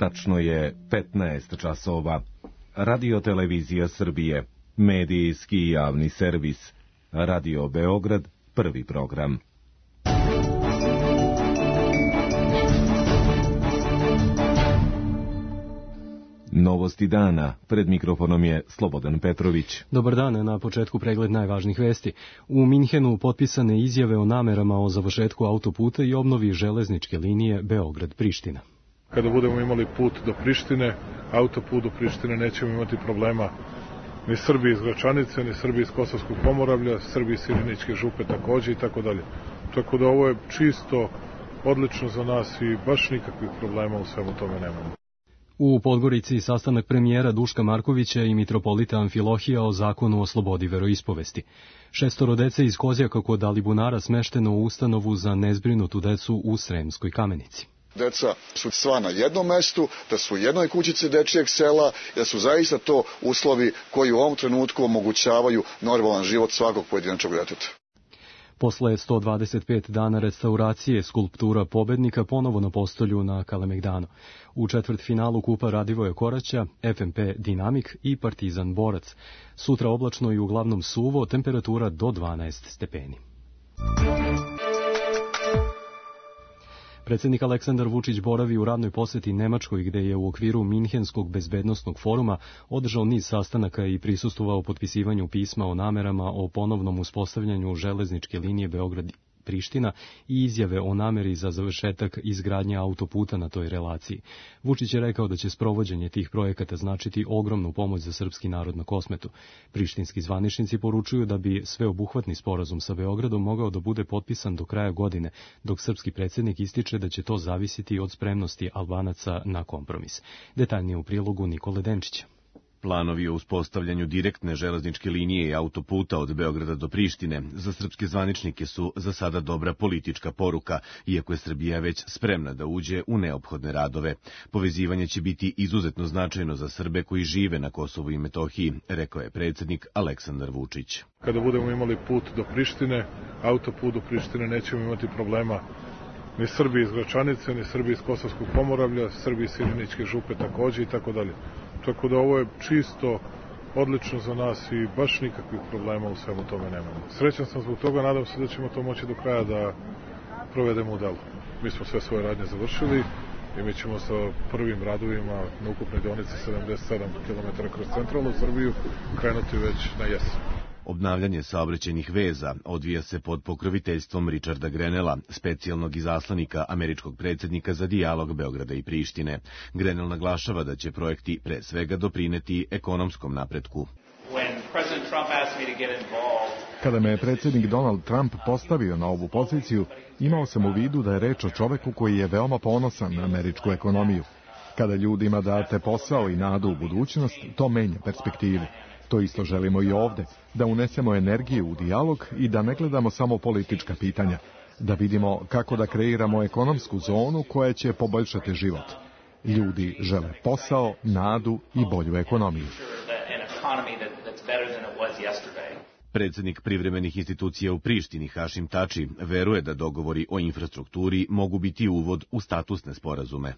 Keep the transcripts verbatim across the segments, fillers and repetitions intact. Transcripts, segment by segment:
Tačno je petnaest časova. Radio Televizija Srbije, medijski i javni servis. Radio Beograd, prvi program. Novosti dana. Pred mikrofonom je Slobodan Petrović. Dobar dan, na početku pregled najvažnijih vesti. U Minhenu potpisane izjave o namerama o završetku autoputa i obnovi železničke linije Beograd-Priština. Kada budemo imali put do Prištine, autoput do Prištine, nećemo imati problema ni Srbi iz Gračanice, ni Srbi iz Kosovskog Pomoravlja, Srbi iz Sirinićke župe takođe i tako dalje. Tako da ovo je čisto odlično za nas i baš nikakvih problema u svemu tome nemamo. U Podgorici sastanak premijera Duška Markovića i mitropolita Amfilohija o zakonu o slobodi veroispovesti. Šestoro dece iz Kozjaka kod Alibunara smešteno u ustanovu za nezbrinutu decu u Sremskoj Kamenici. Deca su sva na jednom mestu, da su u jednoj kućici dečijeg sela, da su zaista to uslovi koji u ovom trenutku omogućavaju normalan život svakog pojedinačnog deteta. Posle sto dvadeset pet dana restauracije skulptura pobednika ponovo na postolju na Kalemegdanu. U četvrtfinalu Kupa Radivoja Koraća, F M P Dinamik i Partizan Borac. Sutra oblačno i uglavnom suvo, temperatura do dvanaest stepeni. Predsjednik Aleksandar Vučić boravi u radnoj poseti Nemačkoj, gde je u okviru Minhenskog bezbednosnog foruma održao niz sastanaka i prisustvovao potpisivanju pisma o namerama o ponovnom uspostavljanju železničke linije Beograd-Priština i izjave o nameri za završetak izgradnje autoputa na toj relaciji. Vučić je rekao da će sprovođenje tih projekata značiti ogromnu pomoć za srpski narod na Kosmetu. Prištinski zvaničnici poručuju da bi sveobuhvatni sporazum sa Beogradom mogao da bude potpisan do kraja godine, dok srpski predsjednik ističe da će to zavisiti od spremnosti Albanaca na kompromis. Detaljnije u prilogu Nikole Denčića. Planovi o uspostavljanju direktne železničke linije i autoputa od Beograda do Prištine za srpske zvaničnike su za sada dobra politička poruka, iako je Srbija već spremna da uđe u neophodne radove. Povezivanje će biti izuzetno značajno za Srbe koji žive na Kosovu i Metohiji, rekao je predsjednik Aleksandar Vučić. Kada budemo imali put do Prištine, autoput do Prištine, nećemo imati problema ni Srbi iz Gračanice, ni Srbi iz Kosovskog Pomoravlja, Srbi iz Sirinićke župe takođe i tako dalje. Tako da ovo je čisto odlično za nas i baš nikakvih problema u svemu tome nemamo. Srećan sam zbog toga, nadam se da ćemo to moći do kraja da provedemo u delu. Mi smo sve svoje radnje završili i mi ćemo sa prvim radovima na ukupnoj deonici sedamdeset sedam kilometara kroz centralnu Srbiju krenuti već na jesen. Obnavljanje saobraćajnih veza odvija se pod pokroviteljstvom Richarda Grenella, specijalnog izaslanika američkog predsjednika za dijalog Beograda i Prištine. Grenell naglašava da će projekti pre svega doprineti ekonomskom napretku. Kada me je predsjednik Donald Trump postavio na ovu poziciju, imao sam u vidu da je reč o čoveku koji je veoma ponosan na američku ekonomiju. Kada ljudima date posao i nadu u budućnost, to menja perspektivu. To isto želimo i ovde, da unesemo energiju u dijalog i da ne gledamo samo politička pitanja, da vidimo kako da kreiramo ekonomsku zonu koja će poboljšati život. Ljudi žele posao, nadu i bolju ekonomiju. Predsjednik privremenih institucija u Prištini Hašim Tači veruje da dogovori o infrastrukturi mogu biti uvod u statusne sporazume.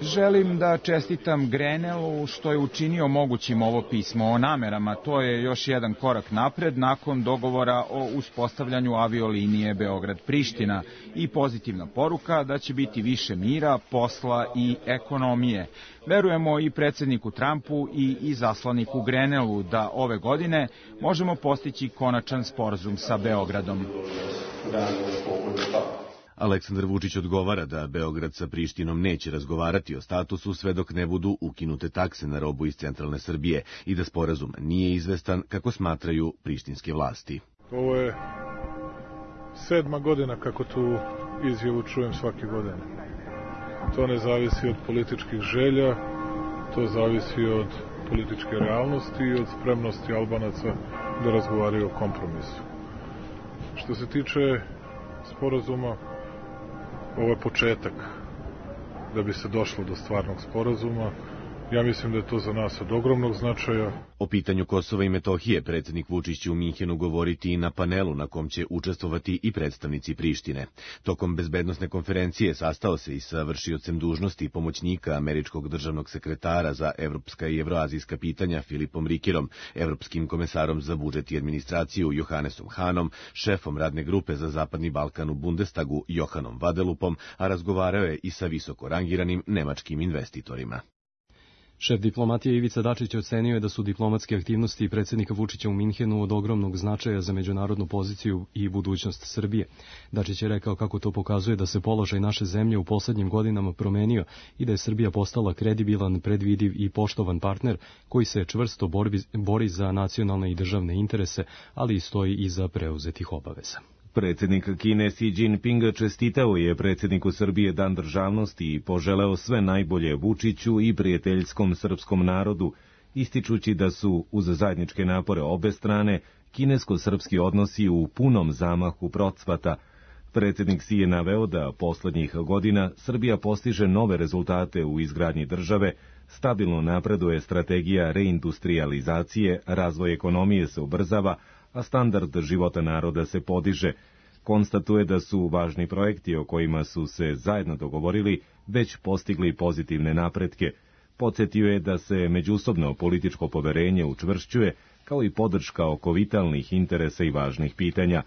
Želim da čestitam Grenellu što je učinio mogućim ovo pismo o namerama. To je još jedan korak napred nakon dogovora o uspostavljanju aviolinije Beograd-Priština i pozitivna poruka da će biti više mira, posla i ekonomije. Verujemo i predsjedniku Trumpu i izaslaniku Grenellu da ove godine možemo postići konačan sporazum sa Beogradom. Aleksandar Vučić odgovara da Beograd sa Prištinom neće razgovarati o statusu sve dok ne budu ukinute takse na robu iz centralne Srbije i da sporazum nije izvestan kako smatraju prištinske vlasti. Ovo je sedma godina kako tu izjavu čujem svake godine. To ne zavisi od političkih želja, to zavisi od političke realnosti i od spremnosti Albanaca da razgovaraju o kompromisu. Što se tiče sporazuma, ovo je početak da bi se došlo do stvarnog sporazuma Ja mislim da je to za nas od ogromnog značaja. O pitanju Kosova i Metohije predsjednik Vučić će u Minhenu govoriti i na panelu na kom će učestvovati i predstavnici Prištine. Tokom bezbednosne konferencije sastao se i sa vršiocem dužnosti pomoćnika američkog državnog sekretara za evropska i evroazijska pitanja Filipom Rikirom, evropskim komesarom za budžet i administraciju Johannesom Hanom, šefom radne grupe za Zapadni Balkan u Bundestagu Johanom Vadelupom, a razgovarao je i sa visoko rangiranim nemačkim investitorima. Šef diplomatije Ivica Dačić ocenio je da su diplomatske aktivnosti predsjednika Vučića u Minhenu od ogromnog značaja za međunarodnu poziciju i budućnost Srbije. Dačić je rekao kako to pokazuje da se položaj naše zemlje u posljednjim godinama promenio i da je Srbija postala kredibilan, predvidiv i poštovan partner koji se čvrsto bori, bori za nacionalne i državne interese, ali i stoji iza preuzetih obaveza. Predsjednik Kine Xi Jinping čestitao je predsjedniku Srbije Dan državnosti i poželeo sve najbolje Vučiću i prijateljskom srpskom narodu, ističući da su, uz zajedničke napore obe strane, kinesko-srpski odnosi u punom zamahu procvata. Predsjednik Xi je naveo da poslednjih godina Srbija postiže nove rezultate u izgradnji države, stabilno napreduje strategija reindustrializacije, razvoj ekonomije se ubrzava, a standard života naroda se podiže. Konstatuje da su važni projekti o kojima su se zajedno dogovorili već postigli pozitivne napretke. Podsjetio je da se međusobno političko poverenje učvršćuje, kao i podrška oko vitalnih interesa i važnih pitanja.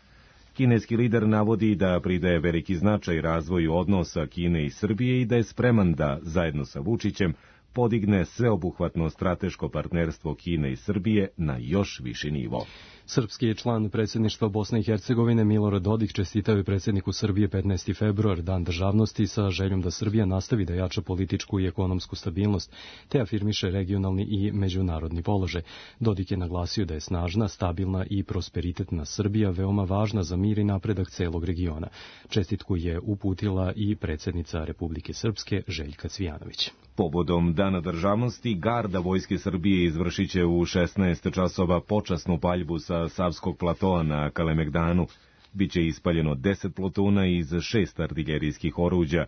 Kineski lider navodi da pridaje veliki značaj razvoju odnosa Kine i Srbije i da je spreman da, zajedno sa Vučićem, podigne sveobuhvatno strateško partnerstvo Kine i Srbije na još viši nivo. Srpski je član predsjedništva Bosne i Hercegovine Milorad Dodik čestitao je predsjedniku Srbije petnaesti februar, Dan državnosti, sa željom da Srbija nastavi da jača političku i ekonomsku stabilnost, te afirmiše regionalni i međunarodni položaj. Dodik je naglasio da je snažna, stabilna i prosperitetna Srbija veoma važna za mir i napredak celog regiona. Čestitku je uputila i predsjednica Republike Srpske Željka Cvijanović. Povodom Dana državnosti, garda Vojske Srbije izvršit će u šesnaest časova počasnu paljbu sa Savskog platoa na Kalemegdanu. Biće ispaljeno deset plotuna iz šest artiljerijskih oruđa.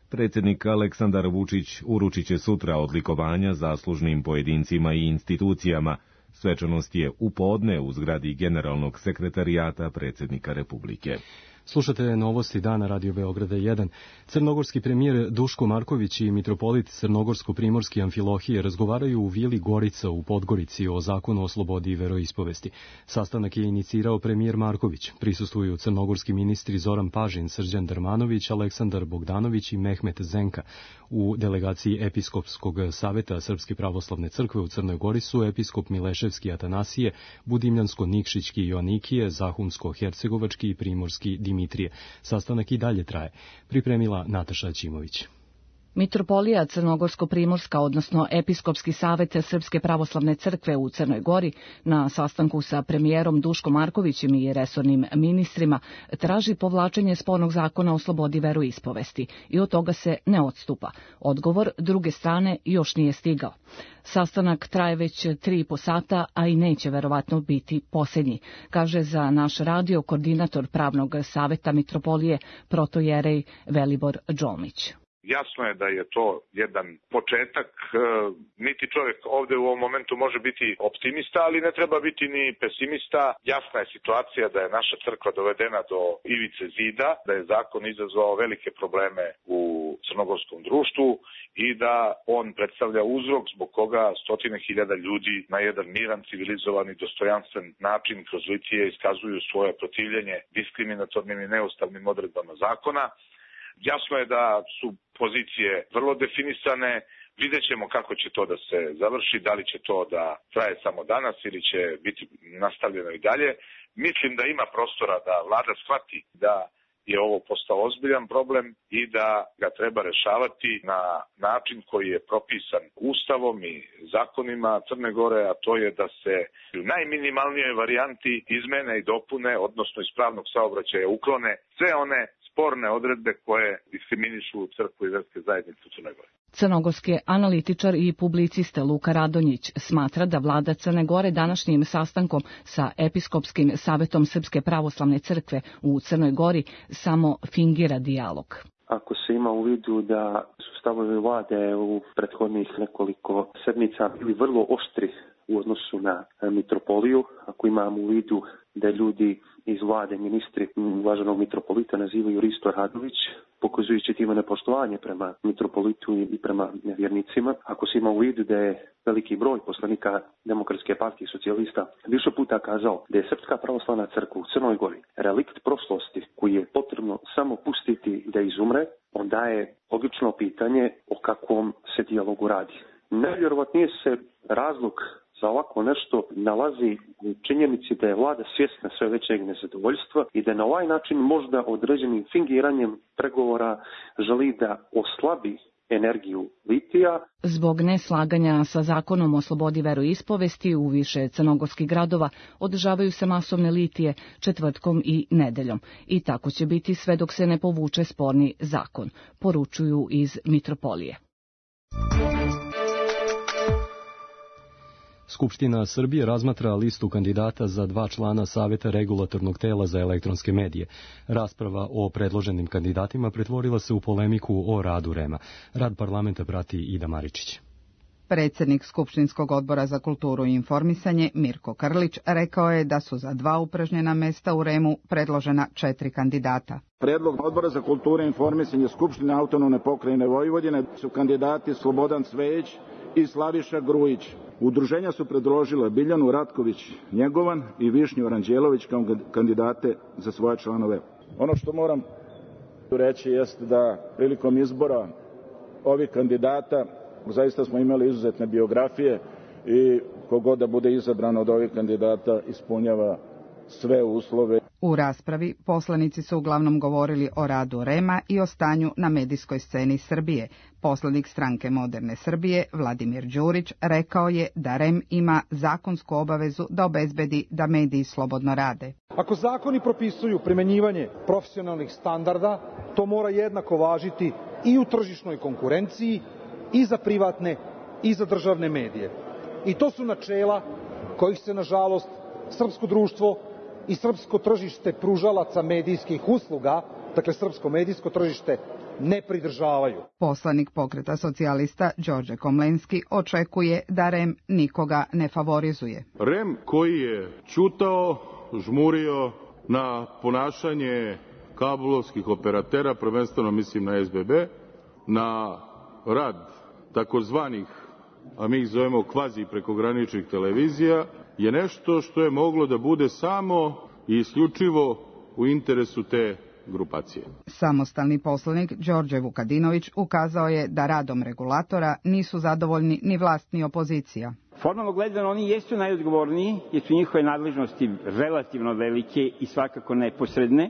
Predsjednik Aleksandar Vučić uručit će sutra odlikovanja zaslužnim pojedincima i institucijama. Svečanost je u podne u zgradi Generalnog sekretarijata predsjednika Republike. Slušate novosti dana Radio Beograda jedan. Crnogorski premijer Duško Marković i mitropolit Crnogorsko-primorski Amfilohije razgovaraju u vili Gorica u Podgorici o zakonu o slobodi i veroispovesti. Sastanak je inicirao premijer Marković. Prisustvuju crnogorski ministri Zoran Pažin, Srđan Darmanović, Aleksandar Bogdanović i Mehmet Zenka. U delegaciji Episkopskog saveta Srpske pravoslavne crkve u Crnoj Gori su episkop Mileševski Atanasije, Budimljansko-Nikšićki Joanikije, Zahumsko-Hercegovački i Primorski Dimitrije. Sastanak i dalje traje. Pripremila Nataša Ćimović. Mitropolija Crnogorsko-primorska, odnosno Episkopski savet Srpske pravoslavne crkve u Crnoj Gori, na sastanku sa premijerom Duškom Markovićem i resornim ministrima, traži povlačenje spornog zakona o slobodi veroispovesti i od toga se ne odstupa. Odgovor druge strane još nije stigao. Sastanak traje već tri i po sata, a i neće verovatno biti posljednji, kaže za naš radio koordinator pravnog saveta Mitropolije protojerej Velibor Đolmić. Jasno je da je to jedan početak, niti čovjek ovdje u ovom momentu može biti optimista, ali ne treba biti ni pesimista. Jasna je situacija da je naša crkva dovedena do ivice zida, da je zakon izazvao velike probleme u crnogorskom društvu i da on predstavlja uzrok zbog koga stotine hiljada ljudi na jedan miran, civilizovan i dostojanstven način kroz litije iskazuju svoje protivljenje diskriminatornim i neustavnim odredbama zakona. Jasno je da su pozicije vrlo definisane, vidjet ćemo kako će to da se završi, da li će to da traje samo danas ili će biti nastavljeno i dalje. Mislim da ima prostora da vlada shvati da je ovo postao ozbiljan problem i da ga treba rešavati na način koji je propisan Ustavom i zakonima Crne Gore, a to je da se u najminimalnijoj varijanti izmene i dopune, odnosno iz pravnog saobraćaja uklone sve one sporne odredbe koje diskriminišu crkvu i verske zajednice u Crnoj Gori. Crnogorski analitičar i publicista Luka Radonjić smatra da vlada Crne Gore današnjim sastankom sa Episkopskim savetom Srpske pravoslavne crkve u Crnoj Gori samo fingira dijalog. ako se ima u vidu da su stavovi vlade u prethodnih nekoliko sedmica bili vrlo oštri u odnosu na mitropoliju, ako imamo u vidu da ljudi iz vlade, ministri uvaženog mitropolita nazivaju Risto Radović, pokazujući time nepoštovanje prema mitropolitu i prema nevjernicima. Ako se ima u vidu da je veliki broj poslanika Demokratske partije socijalista više puta kazao da je Srpska pravoslavna crkva u Crnoj Gori relikt prošlosti koji je potrebno samo pustiti da izumre, onda je logično pitanje o kakvom se dijalogu radi. Najvjerovatnije se razlog za ovako nešto nalazi u činjenici da je vlada svjesna sve većeg nezadovoljstva i da na ovaj način možda određenim fingiranjem pregovora želi da oslabi energiju litija. Zbog neslaganja sa zakonom o slobodi veroispovesti u više crnogorskih gradova održavaju se masovne litije četvrtkom i nedeljom. I tako će biti sve dok se ne povuče sporni zakon, poručuju iz mitropolije. Skupština Srbije razmatra listu kandidata za dva člana Saveta regulatornog tela za elektronske medije. Rasprava o predloženim kandidatima pretvorila se u polemiku o radu REM-a. Rad parlamenta prati Ida Maričić. Predsjednik Skupštinskog odbora za kulturu i informisanje Mirko Krlić rekao je da su za dva upražnjena mesta u REM-u predložena četiri kandidata. Predlog odbora za kulturu i informisanje Skupštine autonomne pokrajine Vojvodine su kandidati Slobodan Cvejić i Slaviša Grujić. Udruženja su predložila Biljanu Ratković-Njegovan i Višnju Aranđelović kao kandidate za svoje članove. Ono što moram reći jeste da prilikom izbora ovih kandidata zaista smo imali izuzetne biografije i kogod da bude izabran od ovih kandidata ispunjava sve uslove. U raspravi poslanici su uglavnom govorili o radu REM-a i o stanju na medijskoj sceni Srbije. Poslanik Stranke moderne Srbije, Vladimir Đurić, rekao je da REM ima zakonsku obavezu da obezbedi da mediji slobodno rade. Ako zakoni propisuju primenjivanje profesionalnih standarda, to mora jednako važiti i u tržišnoj konkurenciji, i za privatne, i za državne medije. I to su načela kojih se, nažalost, srpsko društvo i srpsko tržište pružalaca medijskih usluga, dakle srpsko medijsko tržište, ne pridržavaju. Poslanik Pokreta socijalista Đorđe Komlenski očekuje da REM nikoga ne favorizuje. REM koji je ćutao, žmurio na ponašanje kablovskih operatera, prvenstveno mislim na S B B, na rad takozvanih, a mi ih zovemo kvazi prekograničnih televizija, je nešto što je moglo da bude samo i isključivo u interesu te grupacije. Samostalni poslanik Đorđe Vukadinović ukazao je da radom regulatora nisu zadovoljni ni vlast ni opozicija. Formalno gledano oni jesu najodgovorniji jer su njihove nadležnosti relativno velike i svakako neposredne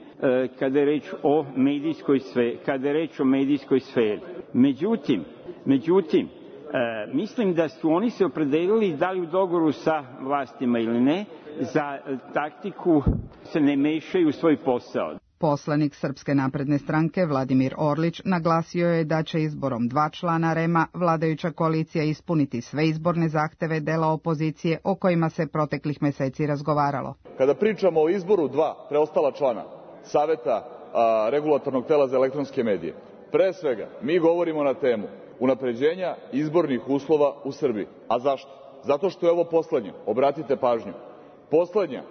kada je reč o medijskoj sferi, kada je reč o medijskoj sferi. Međutim, međutim E, mislim da su oni se opredelili da li u dogovoru sa vlastima ili ne, za taktiku se ne mešaju u svoj posao. Poslanik Srpske napredne stranke Vladimir Orlić naglasio je da će izborom dva člana REM-a vladajuća koalicija ispuniti sve izborne zahteve dela opozicije o kojima se proteklih meseci razgovaralo. Kada pričamo o izboru dva preostala člana Saveta a, regulatornog tela za elektronske medije, pre svega mi govorimo na temu unapređenja izbornih uslova u Srbiji. A zašto? Zato što je ovo poslednje, obratite pažnju, poslednja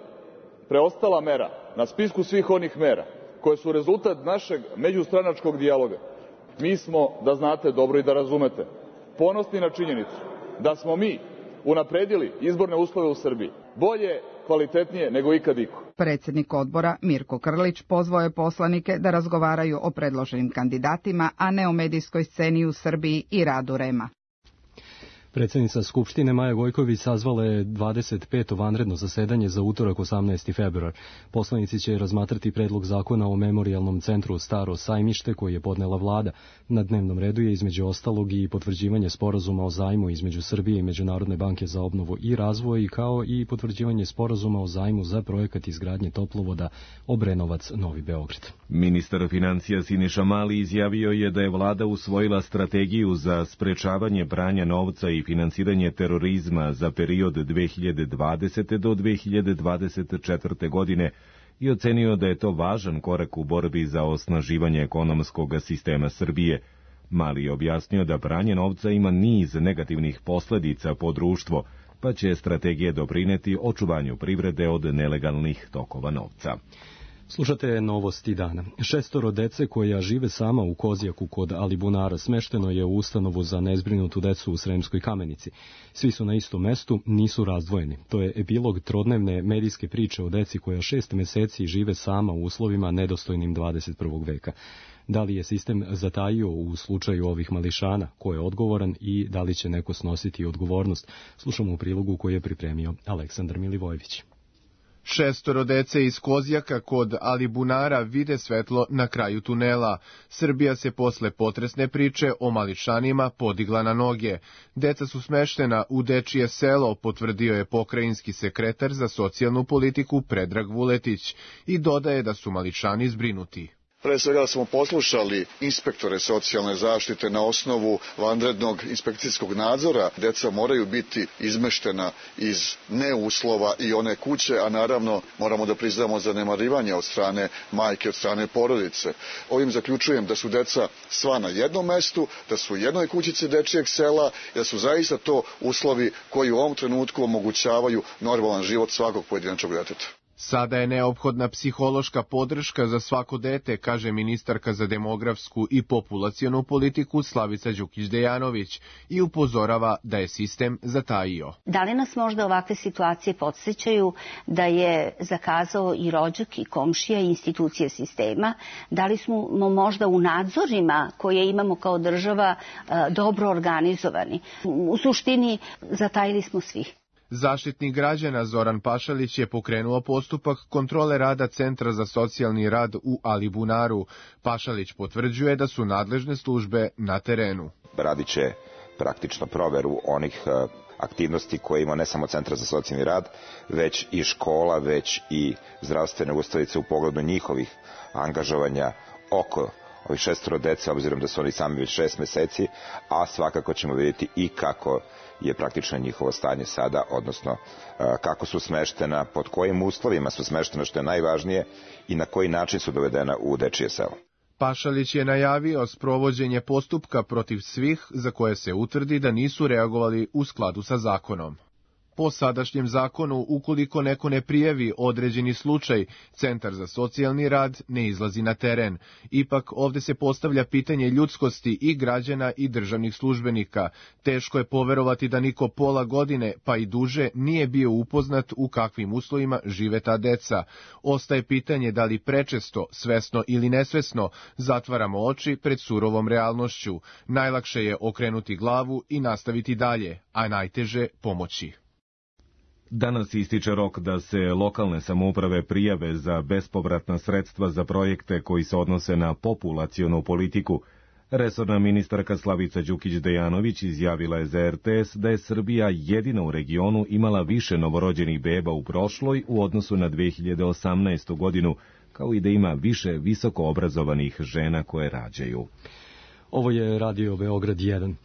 preostala mera na spisku svih onih mera koje su rezultat našeg međustranačkog dijaloga. Mi smo, da znate dobro i da razumete, ponosni na činjenicu da smo mi unapredili izborne uslove u Srbiji bolje, kvalitetnije nego ikad iko. Predsjednik odbora Mirko Krlić pozvao je poslanike da razgovaraju o predloženim kandidatima, a ne o medijskoj sceni u Srbiji i radu REM-a. Predsjednica Skupštine Maja Gojković sazvala je dvadeset peto vanredno zasedanje za utorak osamnaesti februar. Poslanici će razmatrati predlog zakona o memorijalnom centru Staro Sajmište koji je podnela vlada. Na dnevnom redu je između ostalog i potvrđivanje sporazuma o zajmu između Srbije i Međunarodne banke za obnovu i razvoj, kao i potvrđivanje sporazuma o zajmu za projekat izgradnje toplovoda Obrenovac-Novi Beograd. Ministar financija Siniša Mali izjavio je da je vlada usvojila strategiju za sprečavanje pranja novca i finansiranje terorizma za period dve hiljade dvadesete do dve hiljade dvadeset četvrte godine i ocenio da je to važan korak u borbi za osnaživanje ekonomskog sistema Srbije. Mali je objasnio da pranje novca ima niz negativnih posledica po društvo, pa će strategija doprineti očuvanju privrede od nelegalnih tokova novca. Slušate novosti dana. Šestoro dece koja žive sama u Kozjaku kod Alibunara smešteno je u ustanovu za nezbrinutu decu u Sremskoj Kamenici. Svi su na istom mestu, nisu razdvojeni. To je epilog trodnevne medijske priče o deci koja šest meseci žive sama u uslovima nedostojnim dvadeset prvog veka. Da li je sistem zatajio u slučaju ovih mališana, ko je odgovoran i da li će neko snositi odgovornost? Slušamo u prilogu koji je pripremio Aleksandar Milivojević. Šestoro dece iz Kozjaka kod Alibunara vide svetlo na kraju tunela. Srbija se posle potresne priče o mališanima podigla na noge. Deca su smeštena u dečije selo, potvrdio je pokrajinski sekretar za socijalnu politiku Predrag Vuletić i dodaje da su mališani zbrinuti. Pre svega smo poslušali inspektore socijalne zaštite na osnovu vanrednog inspekcijskog nadzora. Deca moraju biti izmeštena iz neuslova i one kuće, a naravno moramo da priznamo zanemarivanje od strane majke, od strane porodice. Ovim zaključujem da su deca sva na jednom mestu, da su u jednoj kućici dečijeg sela, da su zaista to uslovi koji u ovom trenutku omogućavaju normalan život svakog pojedinačnog deteta. Sada je neophodna psihološka podrška za svako dete, kaže ministarka za demografsku i populacionu politiku Slavica Đukić-Dejanović i upozorava da je sistem zatajio. Da li nas možda ovakve situacije podsjećaju da je zakazao i rođak i komšija i institucije sistema? Da li smo možda u nadzorima koje imamo kao država dobro organizovani? U suštini zatajili smo svi. Zaštitnik građana Zoran Pašalić je pokrenuo postupak kontrole rada Centra za socijalni rad u Alibunaru. Pašalić potvrđuje da su nadležne službe na terenu. Radit će praktično proveru onih aktivnosti koje ima ne samo Centra za socijalni rad, već i škola, već i zdravstvene ustanovice u pogledu njihovih angažovanja oko ovih šestoro dece, obzirom da su oni sami već šest meseci, a svakako ćemo vidjeti i kako je praktično njihovo stanje sada, odnosno kako su smeštena, pod kojim uslovima su smeštena, što je najvažnije, i na koji način su dovedena u dečije selo. Pašalić je najavio sprovođenje postupka protiv svih za koje se utvrdi da nisu reagovali u skladu sa zakonom. Po sadašnjem zakonu, ukoliko neko ne prijavi određeni slučaj, Centar za socijalni rad ne izlazi na teren. Ipak ovde se postavlja pitanje ljudskosti i građana i državnih službenika. Teško je poverovati da niko pola godine, pa i duže, nije bio upoznat u kakvim uslovima žive ta deca. Ostaje pitanje da li prečesto, svesno ili nesvesno, zatvaramo oči pred surovom realnošću. Najlakše je okrenuti glavu i nastaviti dalje, a najteže pomoći. Danas ističe rok da se lokalne samouprave prijave za bespovratna sredstva za projekte koji se odnose na populacionu politiku. Resorna ministarka Slavica Đukić-Dejanović izjavila je za er te es da je Srbija jedina u regionu imala više novorođenih beba u prošloj u odnosu na dve hiljade osamnaestu. godinu, kao i da ima više visoko obrazovanih žena koje rađaju. Ovo je Radio Beograd jedan.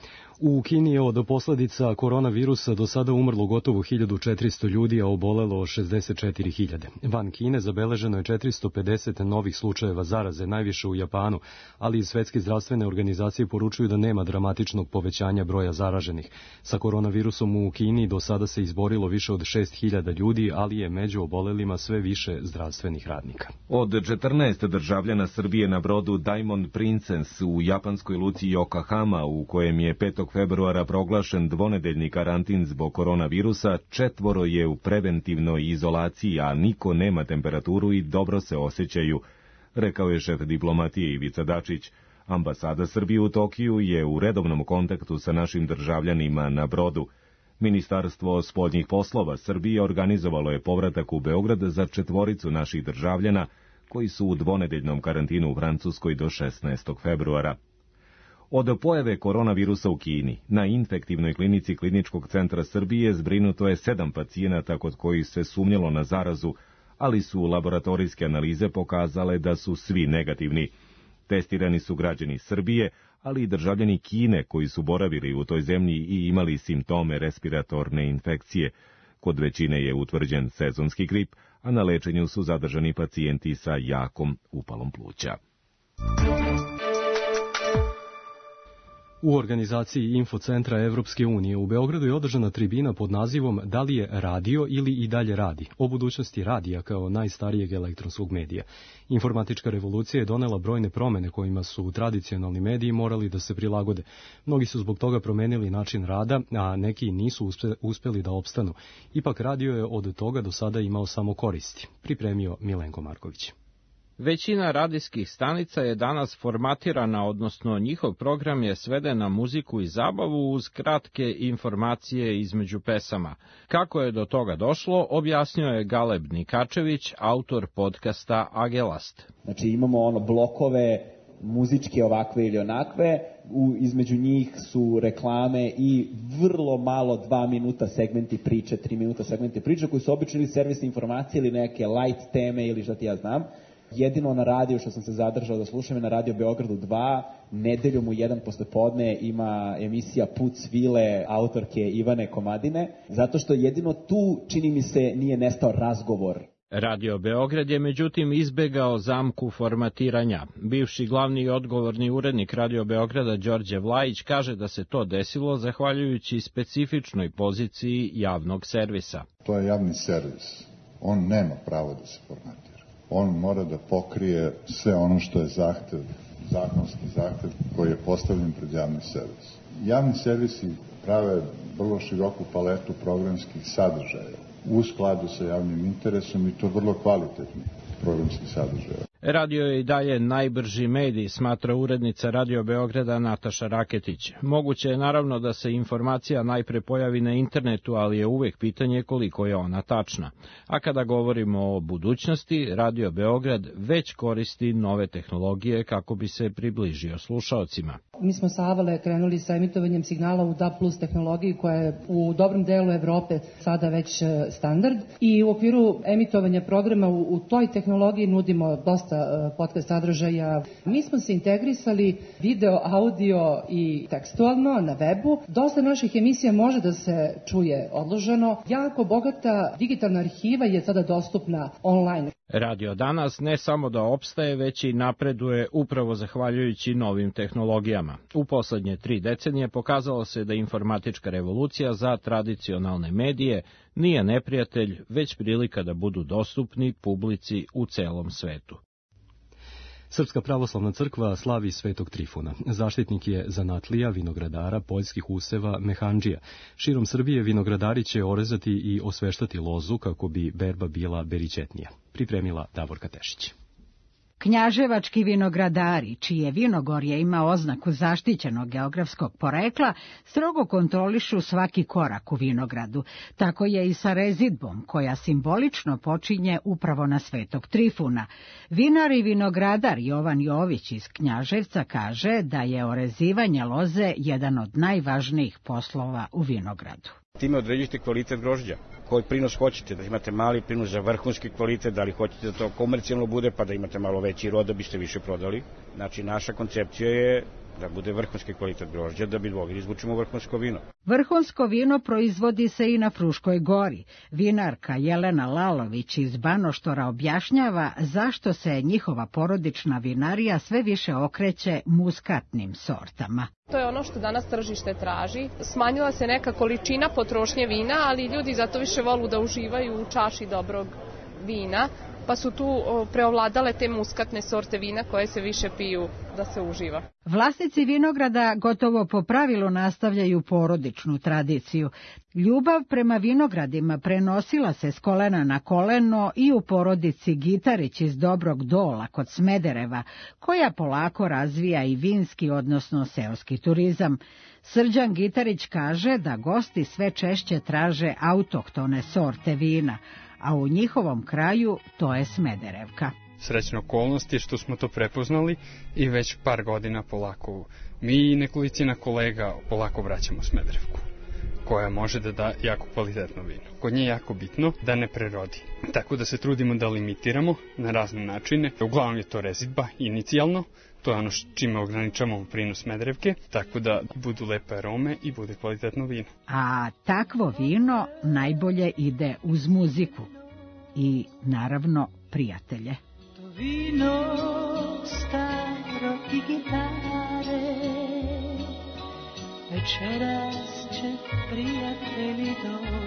U Kini je od posledica koronavirusa do sada umrlo gotovo hiljadu četiristo ljudi, a obolelo šezdeset četiri hiljade. Van Kine zabeleženo je četiristo pedeset novih slučajeva zaraze, najviše u Japanu, ali i Svetske zdravstvene organizacije poručuju da nema dramatičnog povećanja broja zaraženih. Sa koronavirusom u Kini do sada se izborilo više od šest hiljada ljudi, ali je među obolelima sve više zdravstvenih radnika. Od četrnaest državljana Srbije na brodu Diamond Princess u japanskoj luci Yokohama, u kojem je petog februara proglašen dvonedeljni karantin zbog koronavirusa, četvoro je u preventivnoj izolaciji, a niko nema temperaturu i dobro se osjećaju, rekao je šef diplomatije Ivica Dačić. Ambasada Srbije u Tokiju je u redovnom kontaktu sa našim državljanima na brodu. Ministarstvo spoljnih poslova Srbije organizovalo je povratak u Beograd za četvoricu naših državljana koji su u dvonedeljnom karantinu u Francuskoj do šesnaestog februara. Od pojave koronavirusa u Kini, na infektivnoj klinici Kliničkog centra Srbije zbrinuto je sedam pacijenata kod kojih se sumnjalo na zarazu, ali su laboratorijske analize pokazale da su svi negativni. Testirani su građani Srbije, ali i državljani Kine koji su boravili u toj zemlji i imali simptome respiratorne infekcije. Kod većine je utvrđen sezonski grip, a na lečenju su zadržani pacijenti sa jakom upalom pluća. U organizaciji Infocentra Evropske unije u Beogradu je održana tribina pod nazivom Da li je radio ili i dalje radi, o budućnosti radija kao najstarijeg elektronskog medija. Informatička revolucija je donela brojne promene kojima su tradicionalni mediji morali da se prilagode. Mnogi su zbog toga promenili način rada, a neki nisu uspe, uspeli da opstanu. Ipak radio je od toga do sada imao samo koristi, pripremio Milenko Marković. Većina radijskih stanica je danas formatirana, odnosno njihov program je sveden na muziku i zabavu uz kratke informacije između pesama. Kako je do toga došlo, objasnio je Galeb Nikačević, autor podcasta Agelast. Znači imamo ono blokove muzičke ovakve ili onakve, u, između njih su reklame i vrlo malo dva minuta segmenti priče, tri minuta segmenti priče koji su obično ili servisne informacije ili neke light teme ili šta ti ja znam. Jedino na radiju što sam se zadržao da slušam je na Radio Beogradu dva, nedeljom u jedan poslepodne ima emisija Put svile autorke Ivane Komadine, zato što jedino tu, čini mi se, nije nestao razgovor. Radio Beograd je međutim izbegao zamku formatiranja. Bivši glavni i odgovorni urednik Radio Beograda Đorđe Vlajić kaže da se to desilo zahvaljujući specifičnoj poziciji javnog servisa. To je javni servis. On nema pravo da se formatira. On mora da pokrije sve ono što je zahtev, zakonski zahtev koji je postavljen pred javni servis. Javni servisi prave vrlo široku paletu programskih sadržaja u skladu sa javnim interesom i to vrlo kvalitetni programskih sadržaja. Radio je i dalje najbrži medij, smatra urednica Radio Beograda Nataša Raketić. Moguće je naravno da se informacija najpre pojavi na internetu, ali je uvek pitanje koliko je ona tačna. A kada govorimo o budućnosti, Radio Beograd već koristi nove tehnologije kako bi se približio slušaocima. Mi smo sa Avale krenuli sa emitovanjem signala u D A B plus tehnologiji koja je u dobrom delu Evrope sada već standard i u okviru emitovanja programa u, u toj tehnologiji nudimo dosta podcast sadržaja. Mi smo se integrisali video, audio i tekstualno na webu. Dosta naših emisija može da se čuje odloženo. Jako bogata digitalna arhiva je sada dostupna online. Radio danas ne samo da opstaje, već i napreduje upravo zahvaljujući novim tehnologijama. U poslednje tri decenije pokazalo se da informatička revolucija za tradicionalne medije nije neprijatelj, već prilika da budu dostupni publici u celom svetu. Srpska pravoslavna crkva slavi Svetog Trifuna. Zaštitnik je zanatlija, vinogradara, poljskih useva, mehandžija. Širom Srbije vinogradari će orezati i osveštati lozu kako bi berba bila beričetnija. Pripremila Davorka Tešić. Knjaževački vinogradari, čije vinogorje ima oznaku zaštićenog geografskog porekla, strogo kontrolišu svaki korak u vinogradu. Tako je i sa rezidbom, koja simbolično počinje upravo na Svetog Trifuna. Vinar i vinogradar Jovan Jović iz Knjaževca kaže da je orezivanje loze jedan od najvažnijih poslova u vinogradu. Time određujete kvalitet grožđa, koji prinos hoćete, da imate mali prinos za vrhunski kvalitet, da li hoćete da to komercijalno bude, pa da imate malo veći rod da biste više prodali. Znači, naša koncepcija je da bude vrhunski kvalitet grožđa, da bi mogli izvučemo vrhunsko vino. Vrhunsko vino proizvodi se i na Fruškoj gori. Vinarka Jelena Lalović iz Banoštora objašnjava zašto se njihova porodična vinarija sve više okreće muskatnim sortama. To je ono što danas tržište traži. Smanjila se neka količina potrošnje vina, ali ljudi zato više volu da uživaju u čaši dobrog vina, pa su tu preovladale te muskatne sorte vina koje se više piju da se uživa. Vlasnici vinograda gotovo po pravilu nastavljaju porodičnu tradiciju. Ljubav prema vinogradima prenosila se s kolena na koleno i u porodici Gitarić iz Dobrog Dola kod Smedereva, koja polako razvija i vinski, odnosno seoski turizam. Srđan Gitarić kaže da gosti sve češće traže autohtone sorte vina, a u njihovom kraju to je Smederevka. Srećna okolnost je što smo to prepoznali i već par godina polako mi i nekolicina kolega polako vraćamo Smederevku, koja može da da jako kvalitetno vino. Kod nje je jako bitno da ne prerodi, tako da se trudimo da limitiramo na razne načine. Uglavnom je to rezidba inicijalno, to je ono čime ograničavamo prinos Smederevke, tako da budu lepe arome i bude kvalitetno vino. A takvo vino najbolje ide uz muziku. i, naravno, prijatelje. To vino staro i gitare, večeras će prijatelji doći.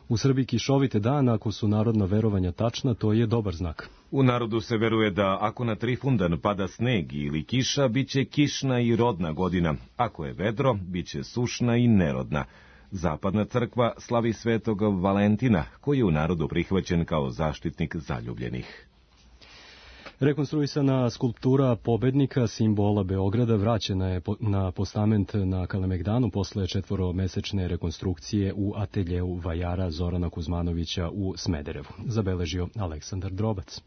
U Srbiji kišovite dan, ako su narodna verovanja tačna, to je dobar znak. U narodu se veruje da ako na Trifundan pada sneg ili kiša, bit će kišna i rodna godina. Ako je vedro, bit će sušna i nerodna. Zapadna crkva slavi svetog Valentina, koji je u narodu prihvaćen kao zaštitnik zaljubljenih. Rekonstruisana skulptura pobednika, simbola Beograda, vraćena je na postament na Kalemegdanu posle četvoromesečne rekonstrukcije u ateljeu vajara Zorana Kuzmanovića u Smederevu, zabeležio Aleksandar Drobac.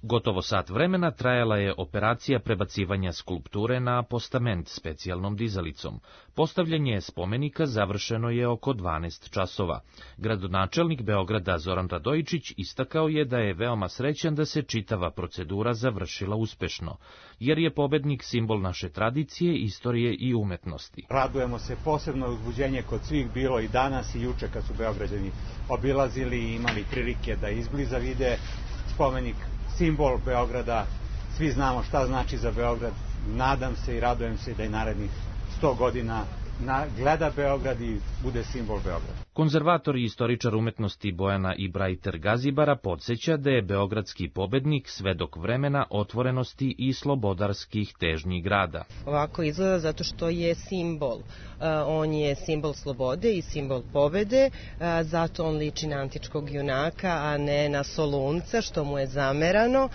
Gotovo sat vremena trajala je operacija prebacivanja skulpture na postament specijalnom dizalicom. Postavljanje spomenika završeno je oko dvanaest časova. Gradonačelnik Beograda Zoran Radojičić istakao je da je veoma srećan da se čitava procedura završila uspešno, jer je pobednik simbol naše tradicije, istorije i umetnosti. Radujemo se, posebno uzbuđenje kod svih bilo i danas i juče kad su Beograđani obilazili i imali prilike da izbliza vide spomenik, simbol Beograda. Svi znamo šta znači za Beograd. Nadam se i radujem se da i narednih sto godina na, gleda Beograd i bude simbol Beograda. Konzervator i istoričar umetnosti Bojana Ibrajter Gazibara podsjeća da je beogradski pobednik svedok vremena otvorenosti i slobodarskih težnji grada. Ovako izgleda zato što je simbol. On je simbol slobode i simbol pobede, zato on liči na antičkog junaka, a ne na Solunca, što mu je zamerano.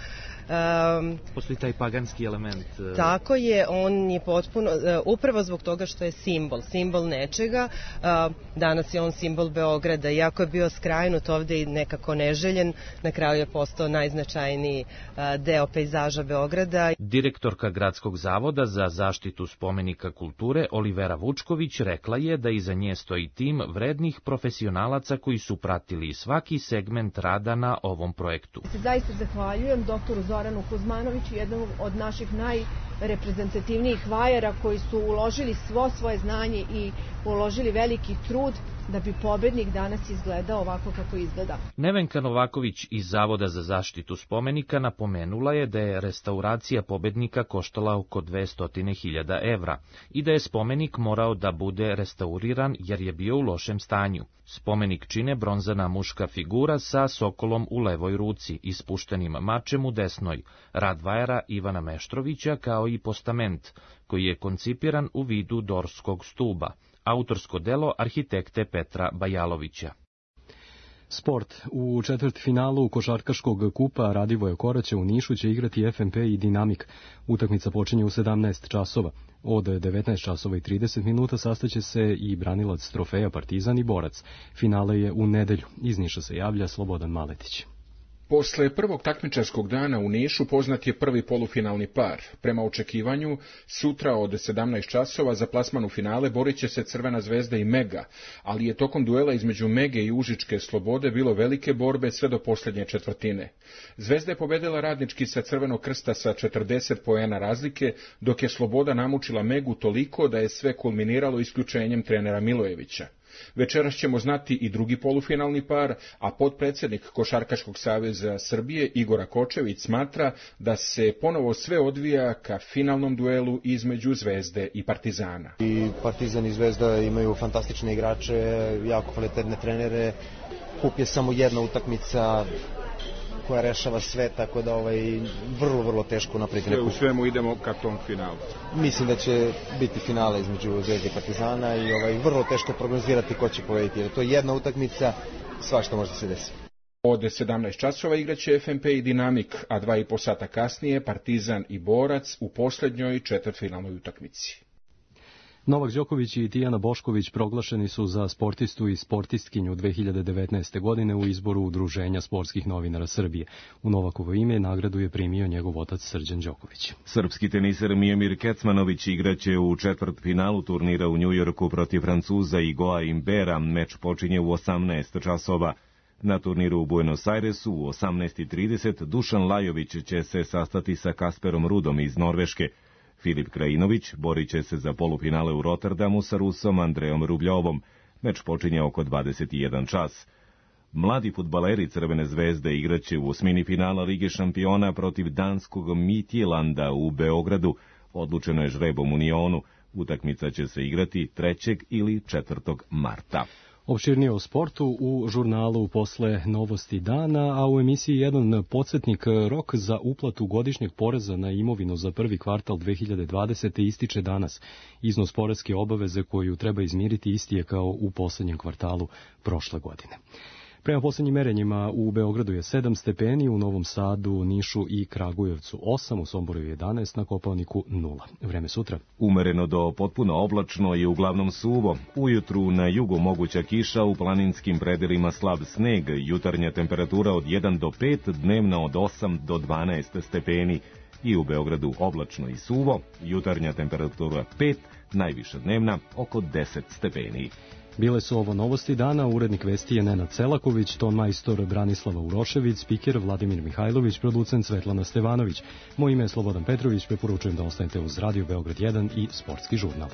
Um, Postoji taj paganski element. Uh... Tako je, on je potpuno, uh, upravo zbog toga što je simbol, simbol nečega, uh, danas je on simbol Beograda, iako je bio skrajnut ovde i nekako neželjen, na kraju je postao najznačajniji uh, deo pejzaža Beograda. Direktorka Gradskog zavoda za zaštitu spomenika kulture Olivera Vučković rekla je da iza nje stoji tim vrednih profesionalaca koji su pratili svaki segment rada na ovom projektu. Zaista zahvaljujem doktoru Zoranu Kuzmanoviću, jednom od naših najreprezentativnijih vajara koji su uložili svo svoje znanje i uložili veliki trud da bi pobednik danas izgledao ovako kako izgleda. Nevenka Novaković iz Zavoda za zaštitu spomenika napomenula je da je restauracija pobednika koštala oko dvesta hiljada evra i da je spomenik morao da bude restauriran jer je bio u lošem stanju. Spomenik čine bronzana muška figura sa sokolom u levoj ruci i spuštenim mačem u desnoj, rad vajara Ivana Meštrovića, kao i postament, koji je koncipiran u vidu dorskog stuba, autorsko delo arhitekte Petra Bajalovića. Sport. U četvrtfinalu košarkaškog kupa Radivoje Koraća u Nišu će igrati F M P i Dinamik. Utakmica počinje u sedamnaest časova. Od devetnaest časova i trideset minuta sastaće se i branilac trofeja Partizan i Borac. Finale je u nedelju. Iz Niša se javlja Slobodan Maletić. Posle prvog takmičarskog dana u Nišu poznat je prvi polufinalni par. Prema očekivanju, sutra od sedamnaest časova za plasman u finale borit će se Crvena zvezda i Mega, ali je tokom duela između Mege i Užičke Slobode bilo velike borbe sve do posljednje četvrtine. Zvezda je pobedila Radnički sa Crvenog krsta sa četrdeset poena razlike, dok je Sloboda namučila Megu toliko da je sve kulminiralo isključenjem trenera Milojevića. Večeras ćemo znati i drugi polufinalni par, a potpredsjednik Košarkaškog saveza Srbije Igor Kočević smatra da se ponovo sve odvija ka finalnom duelu između Zvezde i Partizana. I Partizan i Zvezda imaju fantastične igrače, jako kvalitetne trenere, kup je samo jedna utakmica koja rešava sve, tako da ovaj vrlo, vrlo teško napraviti neku. U svemu idemo ka tom finalu. Mislim da će biti finale između Zvezde i Partizana i ovaj vrlo teško prognozirati ko će pobediti, jer to je jedna utakmica, svašta može se desiti. Od sedamnaest časova igraće F M P i Dinamik, a dva i po sata kasnije Partizan i Borac u posljednjoj četvrtfinalnoj utakmici. Novak Đoković i Tijana Bošković proglašeni su za sportistu i sportistkinju dve hiljade devetnaeste. godine u izboru Udruženja sportskih novinara Srbije. U Novakovo ime nagradu je primio njegov otac Srđan Đoković. Srpski teniser Mijomir Kecmanović igraće u četvrtfinalu turnira u Njujorku protiv Francuza Igoa Imbera. Meč počinje u osamnaest časova. Na turniru u Buenos Airesu u osamnaest i trideset Dušan Lajović će se sastati sa Kasperom Rudom iz Norveške. Filip Krajinović borit će se za polufinale u Rotterdamu sa Rusom Andrejom Rubljovom. Meč počinje oko dvadeset jedan čas. Mladi fudbaleri Crvene zvezde igraće u osmini finala Lige šampiona protiv danskog Midtjylanda u Beogradu. Odlučeno je žrebom Unionu. Utakmica će se igrati trećeg ili četvrtog marta. Opširnije o sportu u žurnalu posle novosti dana, a u emisiji jedan podsjetnik. Rok za uplatu godišnjeg poreza na imovinu za prvi kvartal dve hiljade dvadesete. ističe danas. Iznos poreske obaveze koju treba izmiriti isti je kao u poslednjem kvartalu prošle godine. Prema poslednjim merenjima u Beogradu je sedam stepeni, u Novom Sadu, Nišu i Kragujevcu osam, u Somboru jedanaest, na Kopaoniku nula. Vreme sutra. Umereno do potpuno oblačno i uglavnom suvo. Ujutru na jugu moguća kiša, u planinskim predelima slab sneg, jutarnja temperatura od jedan do pet, dnevna od osam do dvanaest stepeni. I u Beogradu oblačno i suvo, jutarnja temperatura pet, najviša dnevna oko deset stepeni. Bile su ovo novosti dana, urednik vesti je Nenad Selaković, ton majstor Branislava Urošević, spiker Vladimir Mihajlović, producent Svetlana Stevanović. Moje ime je Slobodan Petrović, preporučujem da ostanete uz Radio Beograd jedan i Sportski žurnal.